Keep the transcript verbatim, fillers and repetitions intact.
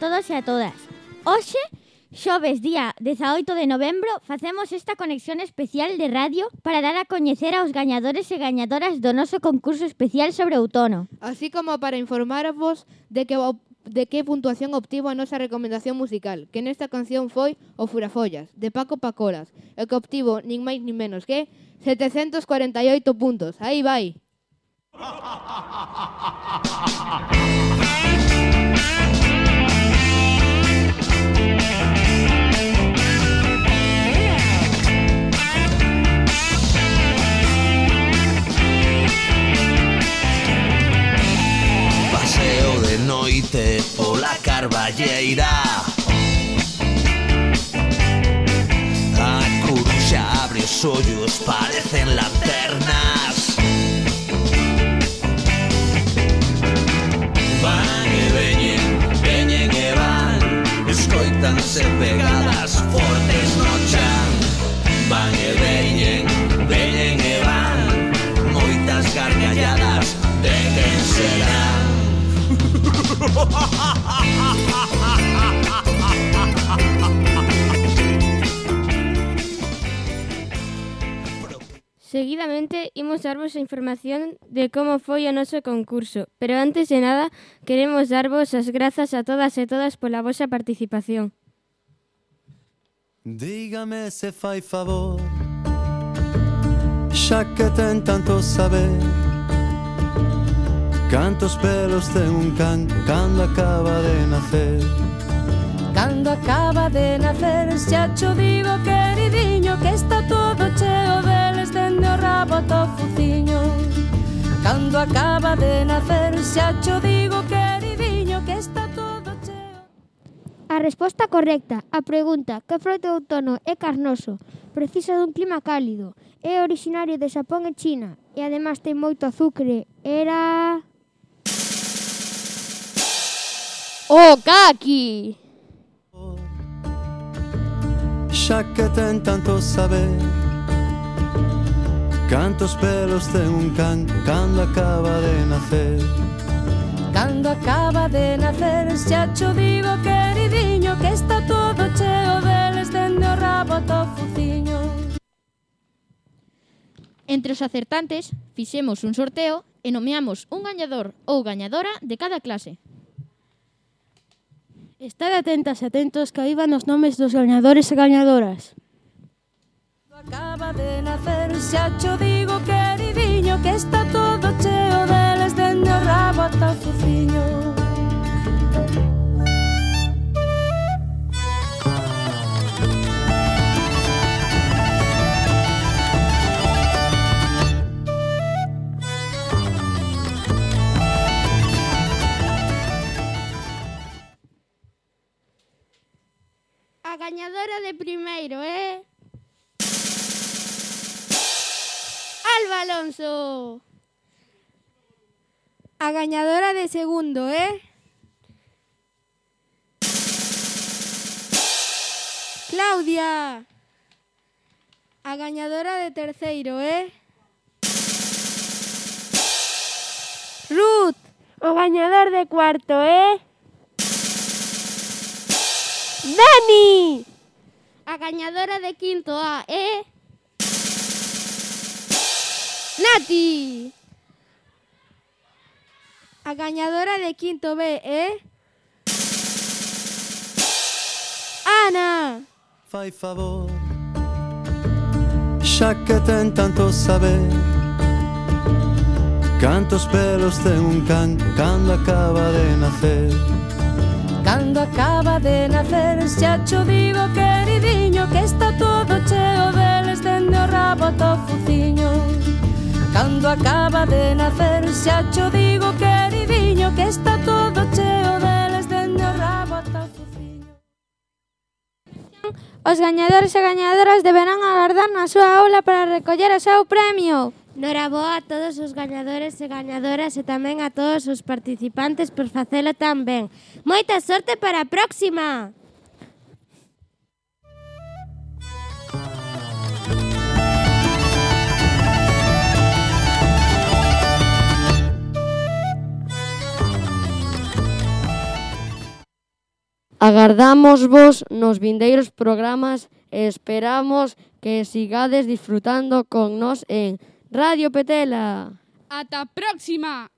todos e a todas. Hoxe, xoves día dezaoito de novembro, facemos esta conexión especial de radio para dar a coñecer aos gañadores e gañadoras do noso concurso especial sobre outono. Así como para informarvos de que de que puntuación obtivo a nosa recomendación musical, que nesta canción foi O Furafollas, de Paco Pacolas, e que obtivo nin máis nin menos que setecentos cuarenta e oito puntos. Aí vai. Paseo de noite pola Carballeira, a coruxa abre os ollos, parecen lanternas. Van e veñen, veñen e van, escoitanse pegadas fortes no chan. Van e veñen, veñen e van, moitas gargalladas de quen serán. Seguidamente, imos darvos a información de como foi o noso concurso, pero antes de nada, queremos darvos as grazas a todas e todas pola vosa participación. Dígame se fai favor, xa que ten tanto saber, cantos pelos ten un can cando acaba de nacer. Cando acaba de nacer, xa cho digo, queridiño, que está todo cheo deles dende o rabo ata o fuciño. Cando acaba de nacer, xa cho digo, queridiño, que está todo cheo. A resposta correcta á pregunta que froito de outono é carnoso, precisa dun clima cálido, é originario de Xapón e China e ademais ten moito azucre, era... O caqui! Xa que ten tanto saber, cantos pelos ten un can cando acaba de nacer. Cando acaba de nacer, xa cho digo, queridiño, que está todo cheo deles dende o rabo ata o fuciño. Entre os acertantes, fixemos un sorteo e nomeamos un gañador ou gañadora de cada clase. Estade atentas e atentos que aí van os nomes dos gañadores e gañadoras. Acaba de nacer, xa cho digo, queridiño, que está todo cheo deles dende o rabo ata o fuciño. A gañadora de primeiro é... Alba Alonso. A gañadora de segundo é... Claudia. A gañadora de terceiro é... Ruth. O gañador de cuarto é... Dani. A gañadora de quinto A é... Nati. A gañadora de quinto B é... Ana. Fai favor, xa que ten tanto saber, cantos pelos ten un can cando acaba de nacer. Cando acaba de nacer, xa cho digo, queridiño, que está todo cheo deles dende o rabo ata o fuciño. Cando acaba de nacer, xa cho digo, queridiño, que está todo cheo deles dende o rabo ata o fuciño. Os gañadores e gañadoras deberán agardar na súa aula para recoller o seu premio. Noraboa a todos os gañadores e gañadoras e tamén a todos os participantes por facelo tan ben. Moita sorte para a próxima! Agardamos vos nos vindeiros programas e esperamos que sigades disfrutando con nós en Radio Petela. Ata a próxima!